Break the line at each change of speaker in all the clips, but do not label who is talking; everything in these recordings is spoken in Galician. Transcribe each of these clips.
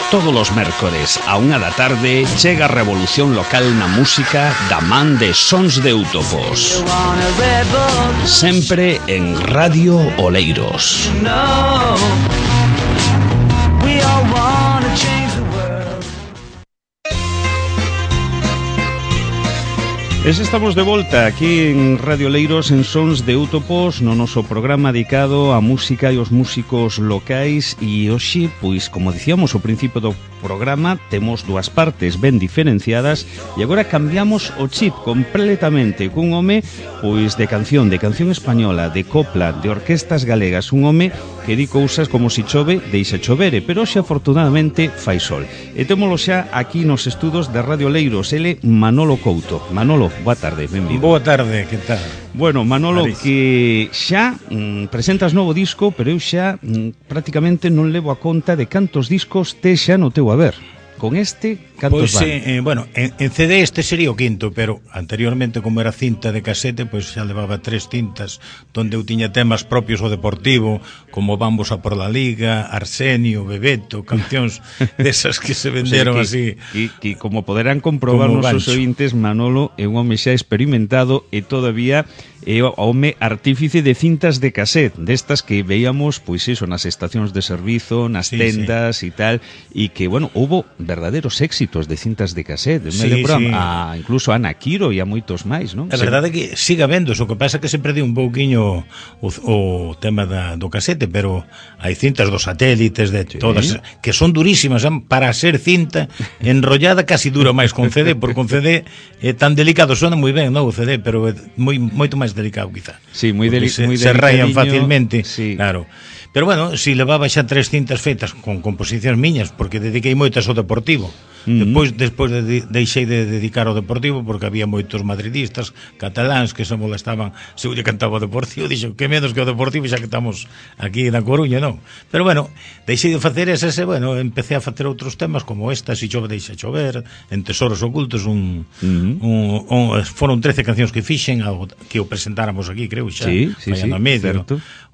Todos os mércores a 1 da tarde chega a revolución local na música da man de Sons de Eutopos. Sempre en Radio Oleiros. Estamos de volta aquí en Radio Oleiros en Sons de Eutopos, no noso programa dedicado á música e aos músicos locais. E hoxe, pois, como dicíamos ao principio do programa, temos dúas partes ben diferenciadas e agora cambiamos o chip completamente cun home, pois, de canción española, de copla, de orquestas galegas, un home que di cousas como si chove, deixa chovere, pero hoxe afortunadamente fai sol. E témolo xa aquí nos estudos de Radio Oleiros, ele Manolo Couto. Manolo, boa tarde, benvido.
Boa tarde, que tal?
Bueno, Manolo, Maris, que xa presentas novo disco, pero eu xa prácticamente non levo a conta de cantos discos tes xa no teu haber. Con este, cantos
van? Bueno, en CD este sería o quinto, pero anteriormente, como era cinta de casete, pois xa levaba 3 cintas donde eu tiña temas propios ao Deportivo, como Vamos a por la Liga, Arsenio, Bebeto, cancións desas que se venderon así.
Que como poderán comprobar nosos ointes, Manolo é un home xa experimentado e todavía é o home artífice de cintas de cassette, destas que veíamos, pois iso, nas estacións de servizo, nas tendas e tal, e que, bueno, houbo verdaderos éxitos de cintas de cassette. Me lembro incluso a Ana Quiro e a moitos máis, non?
A verdade é que siga vendo, o que pasa é que se perdiu un pouquiño o tema do casete, pero hai cintas dos satélites, de todas, que son durísimas, para ser cinta enrollada casi dura máis con CD, porque con CD é tan delicado, suena moi ben, non, o CD, pero é moito máis delicado, quizá.
Sí, moi delicado.
Se rayan facilmente, claro. Pero bueno, si levaba xa 3 cintas feitas con composicións miñas, porque dediquei moitas ao Deportivo. Despois deixei de dedicar ao Deportivo porque había moitos madridistas cataláns que se molestaban se eu lle cantaba o Deportivo. Dixo, que menos que o Deportivo, xa que estamos aquí na Coruña, non? Pero bueno, deixei de facer esas e, bueno, empecé a facer outros temas como esta, Si chove deixa chover, En tesoros ocultos, foron 13 cancións que fixen, que o presentáramos aquí, creo, xa, fallando a medio,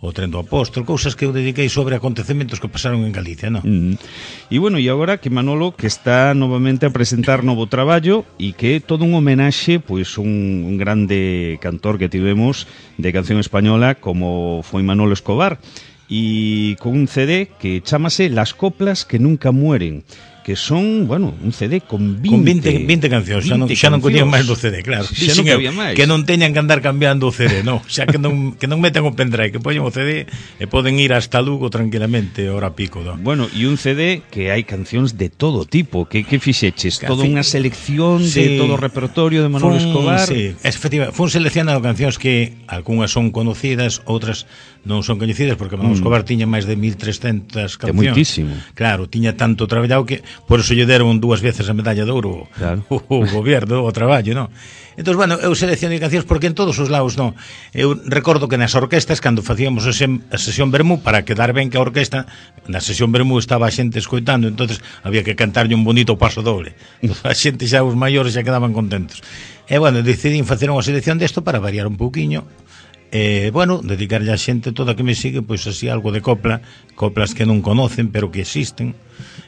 o Tren do Apóstol, cousas que eu dediquei sobre acontecementos que pasaron en Galicia, non?
E bueno, e agora que Manolo, que está novamente a presentar novo traballo e que é todo un homenaxe, pois un grande cantor que tivemos de canción española como foi Manolo Escobar, e con un CD que chamase Las coplas que nunca mueren, que son, bueno, un CD con 20
cancións, xa non coñían máis do CD, claro.
Xa non había máis.
Que non teñan que andar cambiando o CD, non, xa que non metan o pendrive, que poñen o CD e poden ir hasta Lugo tranquilamente, hora pico, non?
Bueno, e un CD que hai cancións de todo tipo, que fixeches? Toda unha selección de todo o repertorio de Manolo Escobar?
Sí, efectivamente, fun seleccionando cancións que algunhas son conocidas, outras non son coñecidas, porque Manolo Escobar tiña máis de 1300 cancións.
É moitísimo.
Claro, tiña tanto traballado que por eso lle deron 2 veces a medalla de ouro o goberno, o traballo, non? Entón, bueno, eu seleccionei cancións porque en todos os lados, non? Eu recordo que nas orquestas, cando facíamos a sesión Bermú, para quedar ben que a orquesta, na sesión Bermú estaba a xente escoitando, entonces había que cantarlle un bonito paso doble. A xente xa, os maiores, xa quedaban contentos. E, bueno, decidín facer unha selección desto para variar un pouquiño. Bueno, dedicarlle a xente toda que me sigue, pois así algo de coplas que non conocen, pero que existen.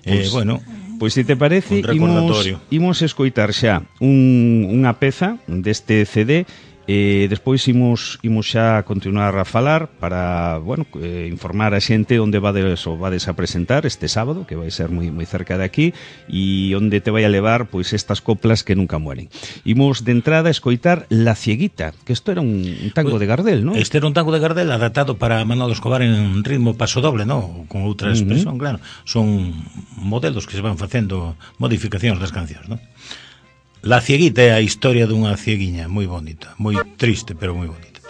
Bueno,
pois se te parece, imos escoitar xa unha peza deste CD. Despois imos xa continuar a falar para, bueno, informar a xente onde vades a presentar este sábado, que vai ser moi cerca de aquí, e onde te vai a levar pois estas coplas que nunca mueren. Imos de entrada a escoitar La Cieguita, que isto era un tango de Gardel, non?
Este era un tango de Gardel adaptado para Manolo Escobar en ritmo paso doble, non? Con outra expresión, claro. Son modelos que se van facendo, modificacións das cancións, non? La Cieguita é a historia dunha cieguiña moi bonita, moi triste, pero moi bonita.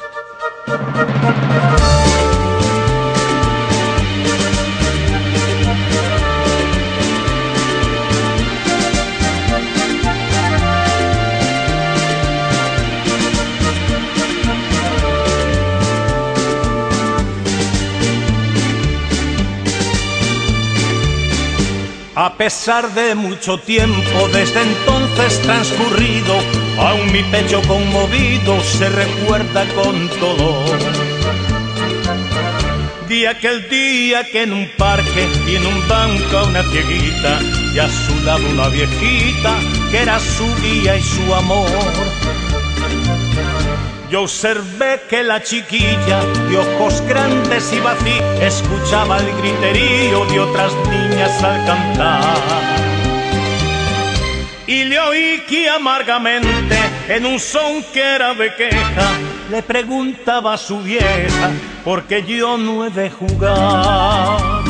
A pesar de mucho tiempo desde entonces transcurrido, aún mi pecho conmovido se recuerda con todo. de aquel día que en un parque y en un banco a una cieguita y a su lado una viejita que era su guía y su amor. Yo observé que la chiquilla de ojos grandes y vacíos escuchaba el griterío de otras niñas al cantar. Y le oí que amargamente, en un son que era de queja, le preguntaba a su vieja, porque yo no he de jugar.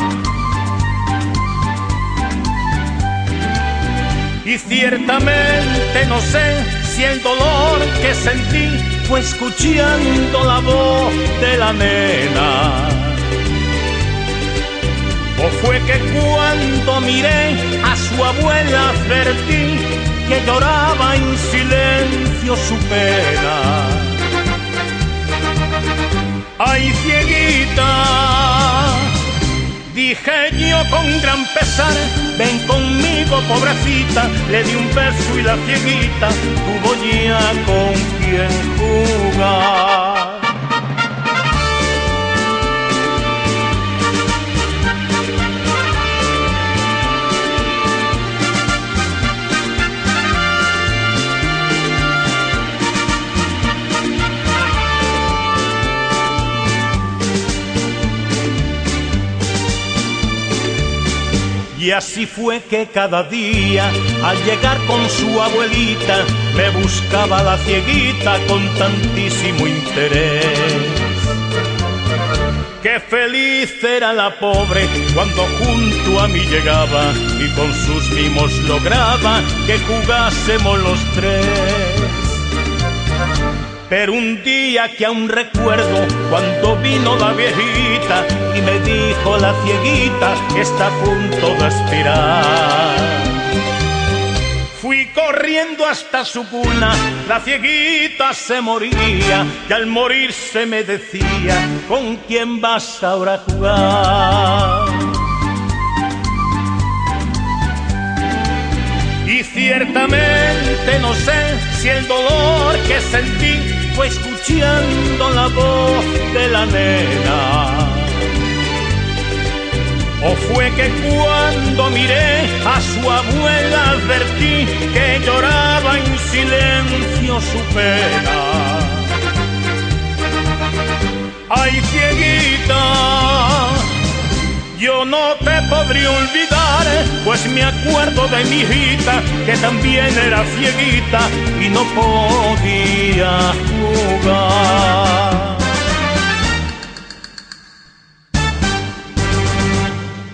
Y ciertamente no sé si el dolor que sentí fue escuchando la voz de la nena, o fue que cuando miré a su abuela advertí que lloraba en silencio su pena. ¡Ay, cieguita!, dije yo con gran pesar, ven conmigo, pobrecita. Le di un beso y la cieguita tuvo ya con quien jugar. Y así fue que cada día, al llegar con su abuelita, me buscaba la cieguita con tantísimo interés. Qué feliz era la pobre cuando junto a mí llegaba y con sus mimos lograba que jugásemos los tres. Pero un día que aún recuerdo, cuando vino la viejita y me dijo la cieguita está a punto de expirar. Fui corriendo hasta su cuna, la cieguita se moría y al morirse me decía, ¿con quién vas ahora a jugar? Y ciertamente no sé si el dolor que sentí fue escuchando la voz de la nena, o fue que cuando miré a su abuela advertí que lloraba en silencio su pena. ¡Ay, cieguita!, yo no te podría olvidar, pues me acuerdo de mi hijita que también era cieguita y no podía jugar.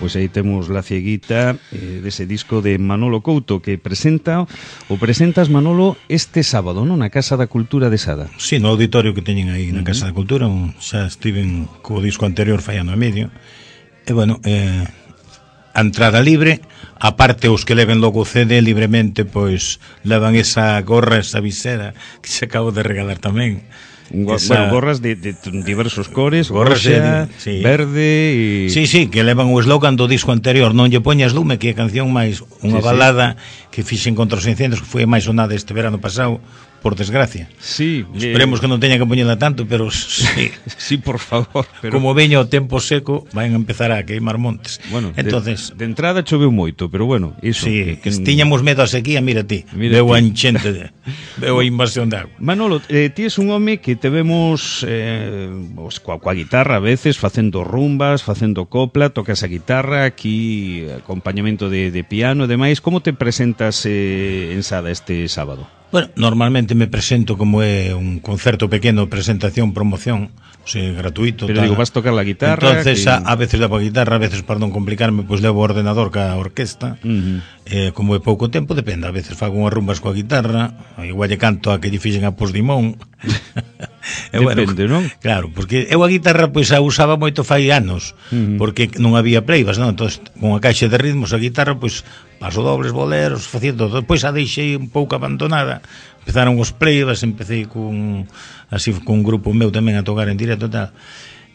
Pois aí temos La Cieguita dese disco de Manolo Couto que presentas, Manolo, este sábado, non? Na Casa da Cultura de Sada.
Sí, no auditorio que teñen aí na Casa da Cultura, xa estiven co disco anterior fallando a medio. E bueno, a entrada libre, aparte os que leven logo o CD libremente, pois levan esa gorra, esa visera que se acabo de regalar tamén.
Bueno, gorras de diversos cores, roxa, sí, verde e...
Sí, que levan o eslogan do disco anterior, Non lle poñas lume, que é a canción máis unha balada que fixen contra os incendios, que foi máis sonada este verano pasado, por desgracia.
Sí,
esperemos que non teña que poñela tanto, pero sí.
Sí, por favor. Pero...
Como veño o tempo seco, van a empezar a queimar montes.
Bueno,
entonces,
de entrada choveu moito, pero bueno, iso.
Sí, que tiñamos medo a sequía, mira ti. Veo a enchente, veo a invasión de agua.
Manolo, ti es un home que te vemos coa guitarra a veces, facendo rumbas, facendo copla, tocas a guitarra, aquí acompañamento de piano e demais. Como te presentas en Sada este sábado?
Bueno, normalmente me presento como é un concerto pequeno, presentación, promoción, o sea, gratuito.
Pero digo, vas tocar la guitarra.
Entonces, que... a veces levo a guitarra, a veces, para non complicarme, pois levo o ordenador ca orquesta. Como é pouco tempo, depende. A veces fago unhas rumbas coa guitarra, igual lle canto a que lle fixen a Posdimón.
Depende,
bueno, non? Claro, porque eu a guitarra pois a usaba moito fai anos, porque non había pleivas, non? Entón, con a caixa de ritmos, a guitarra, pois paso dobles, boleros, facendo todo. Depois a deixei un pouco abandonada. Empezaron os pleivas, empecé con un grupo meu tamén a tocar en directo e tal.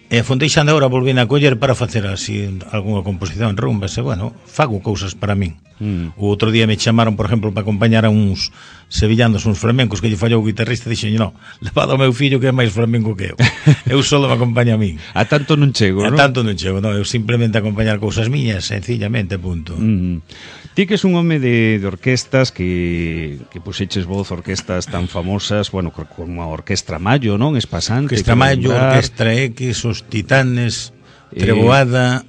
E Fonteixando agora volvín a coller para facer así algunha composición, rumbas, e bueno, fago cousas para min. O outro día me chamaron, por exemplo, para acompañar a uns sevillanos, uns flamencos que lle fallou o guitarrista, e dixen, non, levado ao meu fillo que é máis flamenco que eu. Eu solo me acompaña a min.
A tanto non chego, non?
A tanto non chego, non, eu simplemente acompañar cousas miñas, sencillamente, punto.
Ti que és un home de orquestas que puxeches voz orquestas tan famosas, bueno, como a Orquestra Mayo, non? Espasante.
Orquestra Mayo, Orquestra X, os Titanes, Treboada,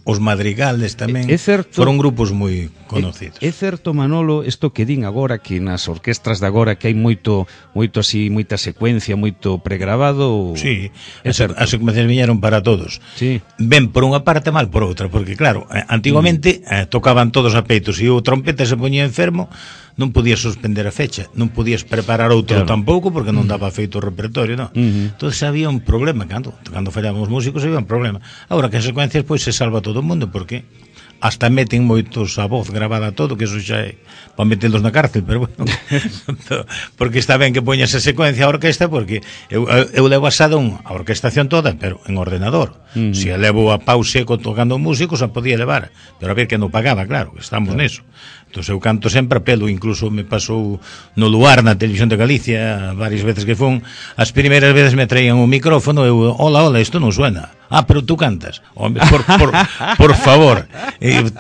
os Madrigales tamén. Foron grupos moi conocidos.
É certo, Manolo, isto que din agora, que nas orquestras de agora que hai moito así, moita secuencia, moito pregrabado.
Sí, as secuencias viñeron para todos.
Sí.
Ben por unha parte, mal por outra, porque claro, antigamente tocaban todos a peitos e o trompeta se poñía enfermo, non podías suspender a fecha, non podías preparar outro tampouco porque non daba feito o repertorio, non? Entonces había un problema, cando fallaban os músicos había un problema. Agora que as secuencias pois se salva todo o mundo, porque hasta meten moitos a voz grabada todo, que eso xa é para metelos na cárcel, pero bueno, porque está ben que poñas a secuencia a orquesta, porque eu levo asado a orquestación toda, pero en ordenador. Se a levo a pau seco tocando músicos, a podía levar, pero a ver que non pagaba, claro, estamos neso. Entón eu canto sempre a pelo, incluso me pasou no Luar, na Televisión de Galicia, varias veces que fun, as primeiras veces me traían un micrófono, eu, hola, isto non suena. Ah, pero tú cantas. Hombre, por favor.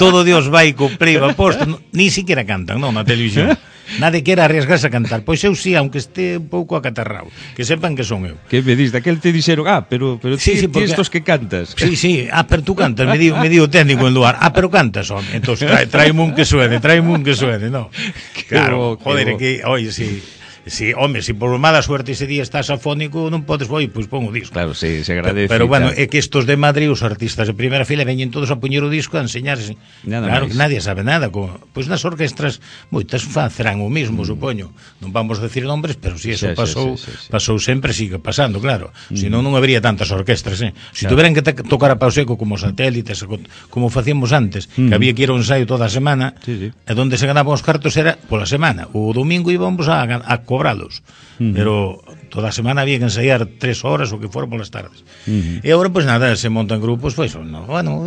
Todo Dios vai co play va posto, ni siquiera cantan, non, na televisión. Nadie quere arriesgarse a cantar. Pois eu sí, aunque este un pouco acatarrao, que sepan que son eu.
Que me dis, daquel te dixeron, pero sí, ti estos que cantas.
Sí, pero tú cantas, me di o técnico en Luar. Pero cantas, home. Entón, traime un que suene, no. Claro, joder, que, oye, sí. Si, home, si por mala suerte ese día estás afónico, non podes, pois pon o disco.
Claro, sí, se agradece.
Pero bueno, é que estos de Madrid, os artistas de primeira fila veñen todos a poñer o disco a enseñarse. Claro que nadie sabe nada. Pois nas orquestras moitas facerán o mismo, supoño. Non vamos a decir nombres, pero si eso pasou sempre, sigue pasando, claro. Senón non habería tantas orquestras, Se tuveran que tocar a pau seco como satélites, como facíamos antes, que había que ir a un ensaio toda a semana, e onde se ganaban os cartos era pola semana. O domingo íbamos a cobralos, pero toda a semana había que ensaiar 3 horas o que fora polas tardes. E agora, pois nada, se montan grupos, pois, bueno,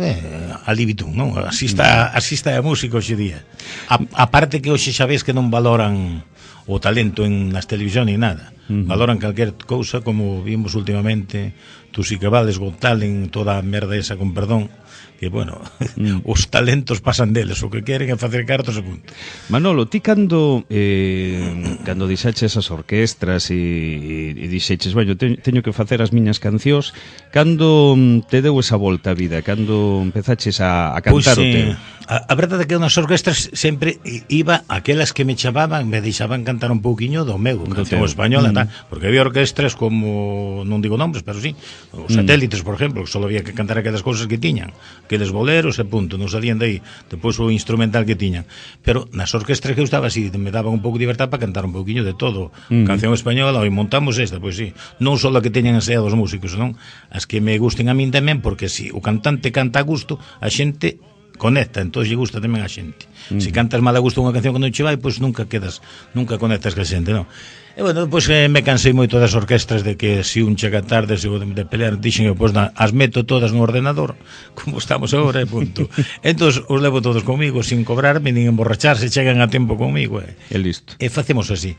alibitum, non? Así está a música hoxe día. A parte que hoxe xa ves que non valoran o talento nas televisión ni nada. Valoran calquer cousa, como vimos últimamente, tú si que vales Got Talent, toda a merda esa, con perdón, que, bueno, os talentos pasan deles, o que queren é facer cartos e punto.
Manolo, ti cando dixaches as orquestras e dixeches, bueno, teño que facer as miñas cancións, cando te deu esa volta a vida, cando empezaches a cantar o teu?
A verdade é que nas orquestras sempre iba aquelas que me chamaban, me deixaban cantar un pouquiño do meu, canción española, porque había orquestras como, non digo nombres, pero sí, os satélites, por exemplo, que só había que cantar aquelas cousas que tiñan, aqueles boleros e punto, non salían de aí, depois o instrumental que tiñan. Pero nas orquestras que eu estaba, así, me daban un pouco de libertad para cantar un pouquiño de todo, canción española, e montamos esta, pois sí, non só a que teñan ensaiado os músicos, non? As que me gusten a min tamén, porque si o cantante canta a gusto, a xente conecta, entón lle gusta tamén a xente. Se cantas mal a gusto unha canción que non che vai, pois nunca conectas ca xente, non? E bueno, pois me cansei moito das orquestras de que si un chega tarde, se de pelear, dixen eu, pois as meto todas no ordenador, como estamos agora, e punto. Entón, os levo todos comigo, sin cobrarme, nin emborracharse, chegan a tempo comigo,
e listo.
E facemos así.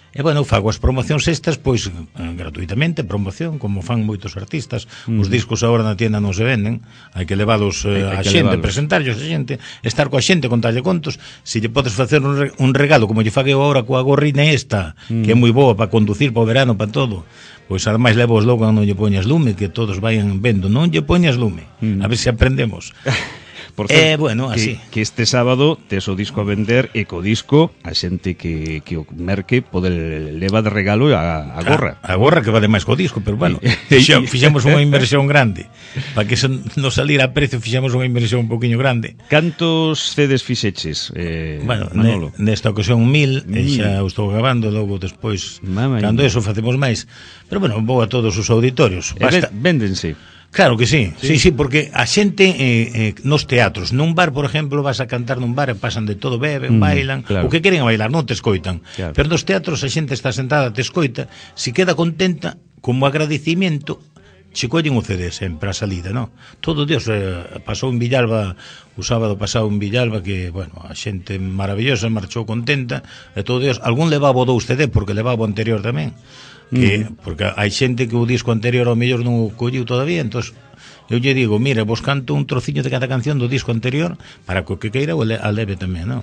E, bueno, fago as promocións estas, pois, gratuitamente, promoción, como fan moitos artistas. Os discos agora na tienda non se venden, hai que leválos a xente, presentarlos a xente, estar coa xente, contarlle contos. Se lle podes facer un regalo, como lle fago agora coa gorrina esta, que é moi boa para conducir, para o verano, para todo, pois ademais levo os logo non lle poñas lume, que todos vayan vendo, non lle poñas lume, a ver se aprendemos.
Por certo,
bueno, así.
Que este sábado tes o disco a vender e co disco a xente que o merque pode leva de regalo a gorra.
A gorra que vale máis co disco, pero bueno, fixemos unha inversión grande. Para que non salir a precio, fixemos unha inversión un poquinho grande.
Cantos CDs fixeches,
bueno, nesta ocasión 1000, e xa o estou grabando, logo despois, cando eso facemos máis. Pero bueno, vou a todos os auditorios.
Véndense.
Claro que sí, sí, porque a xente nos teatros, nun bar, por exemplo, vas a cantar nun bar e pasan de todo, beben, bailan, o que queren bailar, non te escoitan. Pero nos teatros a xente está sentada, te escoita, se queda contenta, como agradecimiento, collen o CD sempre a salida, non? Todo Dios, pasou en Villalba o sábado pasado en Villalba, que, bueno, a xente maravillosa marchou contenta, e todo Dios, algún levaba o 2 CD porque levaba o anterior tamén, que porque hai xente que o disco anterior ao mellor non o colliu todavía, entón eu lle digo, mira, vos canto un trociño de cada canción do disco anterior para que o que queira o leve tamén, non?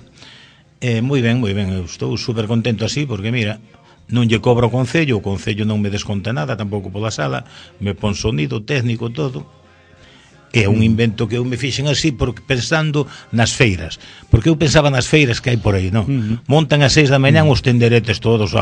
Moi ben, eu estou super contento así, porque mira, non lle cobro o Concello non me desconta nada, tampouco pola sala, me pon sonido, técnico, todo. É un invento que eu me fixen así porque pensando nas feiras, porque eu pensaba nas feiras que hai por aí, non? Montan ás 6 da mañán os tenderetes todos,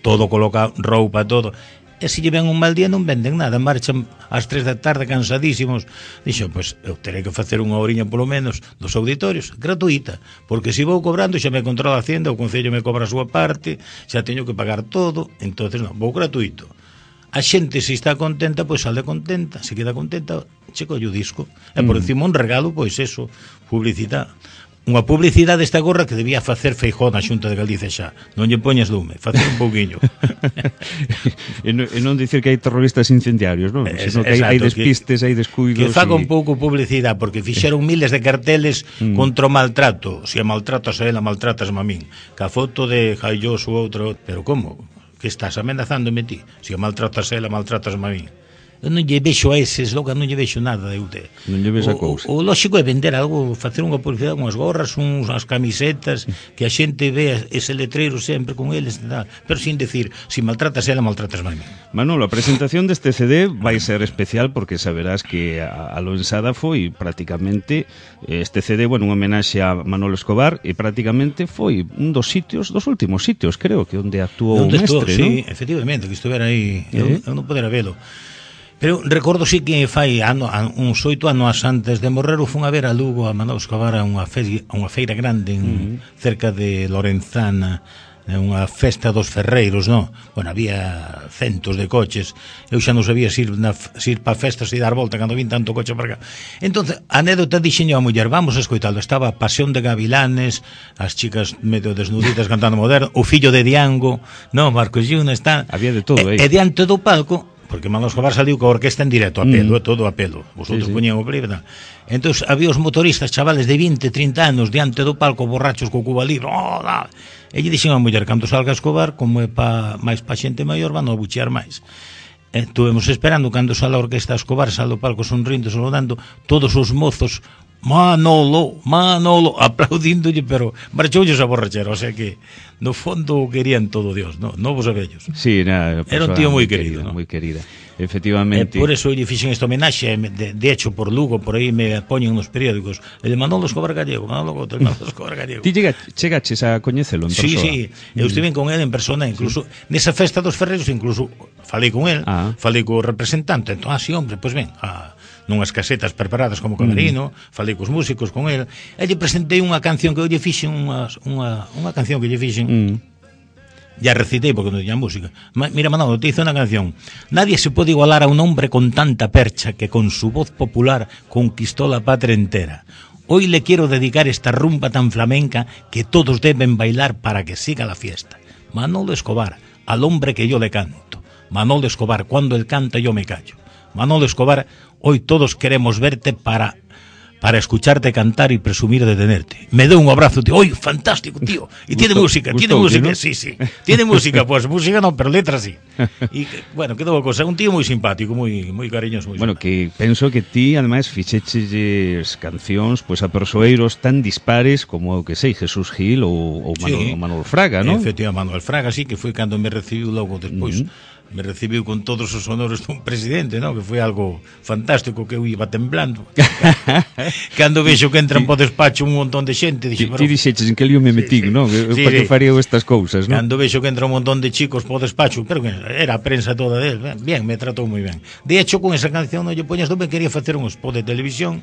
todo coloca roupa, todo. E se lle ven un mal día non venden nada, marchan ás 3 da tarde cansadísimos. Dixo, pois eu terei que facer unha horiña polo menos dos auditorios, gratuita, porque se vou cobrando xa me controla a Hacienda, o Concello me cobra a súa parte, xa teño que pagar todo, entonces non, vou gratuito. A xente se está contenta, pois sale contenta, se queda contenta, che colle o disco. E por encima un regalo, pois eso, publicidade. Unha publicidade esta gorra que debía facer Feijóo na Xunta de Galicia xa. Non lle poñas lume, facer un pouquiño.
e non dicir que hai terroristas incendiarios, non? Sino que hai despistes, hai descuidos.
Que faga un pouco publicidade, porque fixeron miles de carteles contra o maltrato. Se a maltratas a ela, maltratas a min. Que a foto de Jaillos ou outro, pero como? Que estás amenazándome ti? Se a maltratas a ela, maltratas a min. Eu non lle vexo a eses, logo non lle vexo nada de UT.
Non lle ves a cousa.
O lógico é vender algo, facer unha publicidade, unhas gorras, unhas camisetas, que a xente vea ese letreiro sempre con eles, pero sin decir, si maltratas ela, maltratas máis.
Manolo, a presentación deste CD vai ser especial porque saberás que a Loensada foi prácticamente este CD, bueno, unha homenaxe a Manolo Escobar, e prácticamente foi un dos últimos sitios, creo, que onde actuou o mestre,
sí, non? Efectivamente, que estuvera aí, eu non podera velo. Pero recordo sí que fai uns 8 anos antes de morrer fun a ver a Lugo a Manolo Escobar a unha feira grande cerca de Lorenzana, unha festa dos ferreiros, non? Bueno, había centos de coches. Eu xa non sabía se ir para festas e dar volta cando vin tanto coche para cá. Entonces, a anécdota dixenlle a muller, vamos a escoitalo. Estaba Pasión de Gavilanes, as chicas medio desnuditas cantando moderno, o fillo de Diango, non? Marcos Yuna, está.
Había de todo aí.
E diante do palco, porque Manolo Escobar saliu coa orquesta en directo, a pelo, todo a pelo. Vosotros poñían o plebe, entón había os motoristas, chavales de 20, 30 anos, diante do palco, borrachos co cuba libre, e lle dixen a muller, cando salga Escobar, como é máis pa xente maior, van a buchear máis. Estuvemos esperando, cando sale a orquesta Escobar, sale o palco sonrindo, saludando, todos os mozos, Manolo, aplaudíndolle, pero marchoulles a borrachera, o sea que no fondo querían todo Dios, novos e vellos.
Sí, era
un tío moi querido,
moi querida. Efectivamente.
Por eso lle fixen esta homenaxe, de hecho por Lugo, por aí me poñen nos periódicos, el de Manolo Escobar Gallego, Manolo Escobar Gallego.
Ti chegaches a coñecelo en persona?
Sí, eu estive con ele en persona, incluso nesa festa dos ferreiros, incluso falei con el, falei co representante, entón, sí, hombre, pois ben, nunhas casetas preparadas como camerino, falei cos músicos con el, e lle presentei unha canción que eu lle fixen, unha canción que lle fixen, ya recitei porque non tiña música. Mira, Manolo, te hizo unha canción. Nadie se puede igualar a un hombre con tanta percha que con su voz popular conquistó la patria entera. Hoy le quiero dedicar esta rumba tan flamenca que todos deben bailar para que siga la fiesta. Manolo Escobar, al hombre que yo le canto. Manolo Escobar, cuando él canta yo me callo. Manolo Escobar, hoy todos queremos verte para escucharte cantar y presumir de tenerte. Me deu un abrazo, tío. ¡Oy, fantástico, tío! Y tiene música, ¿no? Sí. Tiene música, pues música no, pero letra sí. Y bueno, quedou cosa, un tío moi simpático, moi cariñoso, moi
bueno,
simpático.
Que penso que ti ademais fixeches cancións pois a persoeiros tan dispares como o que sei, Jesús Gil ou Manuel Fraga, ¿no?
Efectivamente, Manuel Fraga, sí, que foi cando me recibiu logo despois. Me recibiu con todos os honores dun presidente, ¿no? Que foi algo fantástico, que eu iba temblando. Cando vexo que entran po despacho un montón de xente, dixo,
ti dixeches en que lío me metín, ¿no? Para que faría estas cousas, ¿no?
Cando vexo que entra un montón de chicos po despacho, pero que era a prensa toda del, bien, me tratou moi ben. De hecho, con esa canción non lle poñas, non me quería facer un spot de televisión,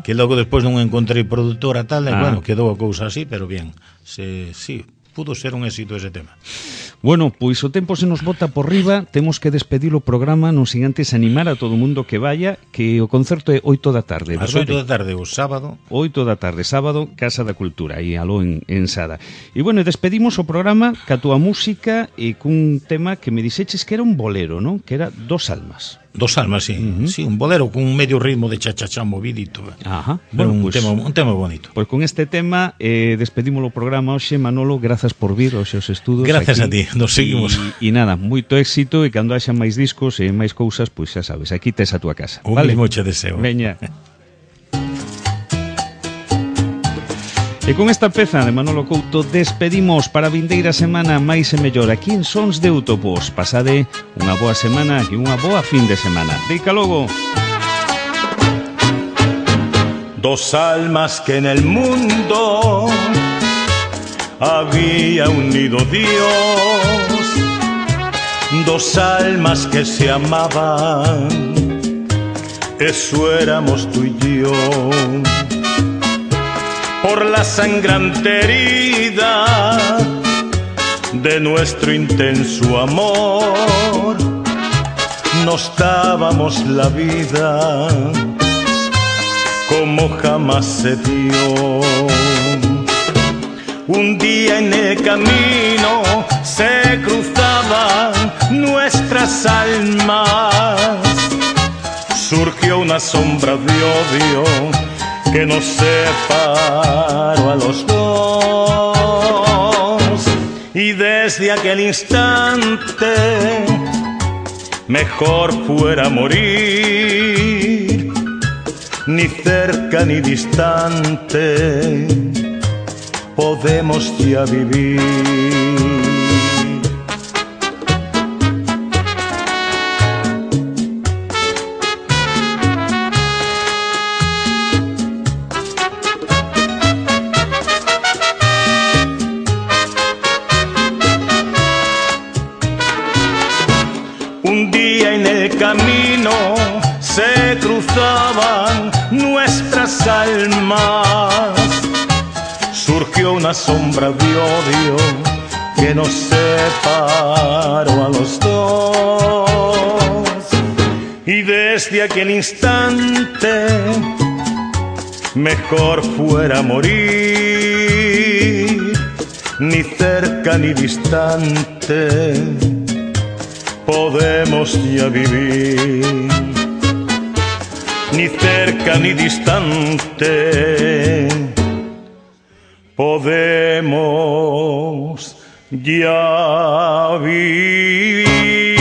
que logo despois non encontrei productora tal, e bueno, quedou a cousa así, pero bien. Sí, pudo ser un éxito ese tema.
Bueno, pois o tempo se nos bota por riba, temos que despedir o programa, non sin antes animar a todo o mundo que vaya, que o concerto é 8 da tarde.
As 8 da tarde, o sábado.
8 da tarde, sábado, Casa da Cultura, aí aló en Sada. E bueno, despedimos o programa ca túa música e cun tema que me dixeches que era un bolero, non? Que era Dos almas.
Dos almas, sí. Sí, un bolero con un medio ritmo de cha-cha-cha movidito.
Ajá.
Bueno, un tema bonito.
Pois con este tema despedimos o programa hoxe, Manolo, grazas por vir aos seus estudos.
Gracias
aquí.
a ti, nos seguimos.
E nada, moito éxito, e cando haxa máis discos e máis cousas, pois xa sabes, aquí tes a túa casa.
Un mismo che deseo.
Veña. E con esta peza de Manolo Couto despedimos para a vindeira semana máis e mellor aquí en Sons de Utopos. Pasade unha boa semana e unha boa fin de semana. Deica logo.
Dos almas que en el mundo había unido Dios, dos almas que se amaban, eso éramos tú y yo. Por la sangrante herida de nuestro intenso amor, nos dábamos la vida como jamás se dio. Un día en el camino se cruzaban nuestras almas, surgió una sombra de odio que nos separó a los dos, y desde aquel instante mejor fuera morir, ni cerca ni distante podemos ya vivir. Un día en el camino se cruzaban nuestras almas, surgió una sombra de odio que nos separó a los dos, y desde aquel instante mejor fuera morir, ni cerca ni distante podemos ya vivir, ni cerca ni distante podemos ya vivir.